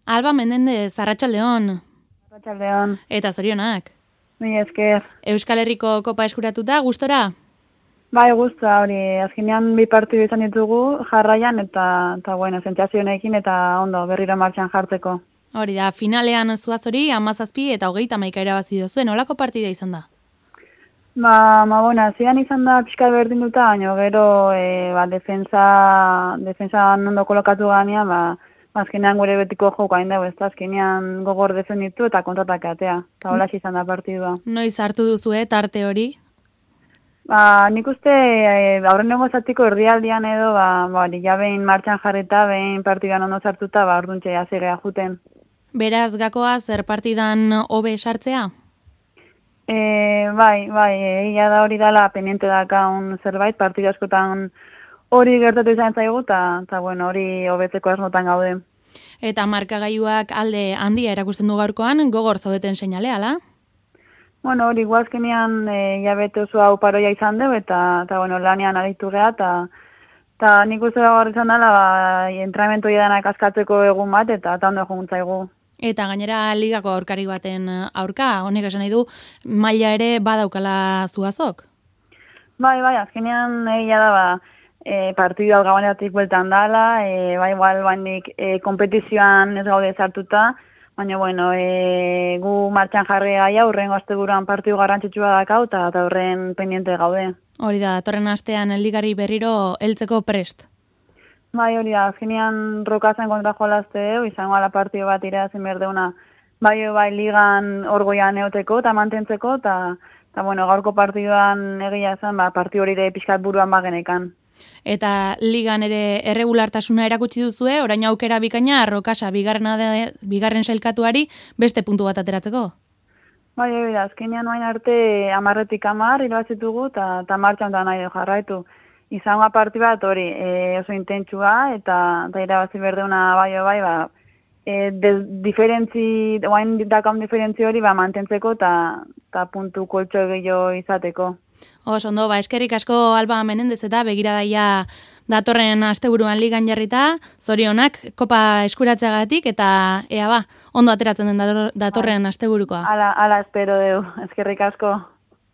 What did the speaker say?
Alba Menendez, arratsaldeon. Arratsaldeon. Eta zorionak. Mila esker. Euskal Herriko kopa eskuratuta, gustora? Bai, gustua hori. Azkenean 2 partidu izan ditugu jarraian eta bueno, sentsazio honekin eta ondo berriro martxan jartzeko. Hori da, finalean zuazori 17 eta 31 irabazi duzuen, nolako partida izan da? Bueno, zian izan da pixka berdinduta, baina gero defensa ondo kolokatu ganean, azkenean gure betiko joko hain dago, azkenean gogor defenditu eta kontratak atea. Eta hola izan da partidua. Noiz hartu duzu, tarte hori? Nik uste aurrenengo zatiko erdialdian edo, ja behin martxan jarrita, behin partidan ondo sartuta, orduntxe azegea juten. Beraz, gakoa zer partidan hobe sartzea? Bai, egia da hori dela pendiente dakaun zerbait, partida askotan hori gertatu izan zaigu, eta bueno, hori hobetzeko asmotan gaude. Eta markagailuak alde handia erakusten du gaurkoan, gogor zaudeten seinale, ala? Bueno, hori guazkenean jabete oso hau paroia izan dugu, eta bueno, lanean aritu geha, eta nik uste gaur izan dela, entrenamentu edanak askatzeko egun bat, eta ondo juntzaigu. Eta gainera ligako aurkari baten aurka, honek esan nahi du, maila ere badaukala zuazok? Bai, azkenean egia da, partidu hau gabanetik bueltan dala, igual bandik kompetizioan ez gaude sartuta, baina bueno, gu martxan jarri gaia, urrengo asteburuan partidu garrantzitsua dakau, eta horren pendiente gaude. Hori da, datorren astean ligari berriro heltzeko prest. Bai, hori da, azkenean rokazen kontra jolazte, izango ala partidu bat irazen berdeuna, bai ligan orgoian eoteko eta mantentzeko, eta bueno, gaurko partiduan egia zen, partidu hori ere pixkat buruan bagenekan. Eta ligan ere erregulartasuna erakutsi duzue, orain aukera bikaina Rokasa bigarren sailkatuari beste puntu bat ateratzeko? Bai, hori da, azkenean oain arte 10-10 irabazitugu eta martxan da nahi jarraitu. Izango partidu bat hori oso intentsua eta irabazi berdeuna bai, oain dakaun diferentzi hori mantentzeko eta puntu koltxo gehiago izateko. Ondo, eskerrik asko Alba Menendez eta begiradaia datorren asteburuan ligan jarrita, zorionak kopa eskuratzeagatik eta ondo ateratzen den datorren asteburukoa. Ala espero deu, eskerrik asko.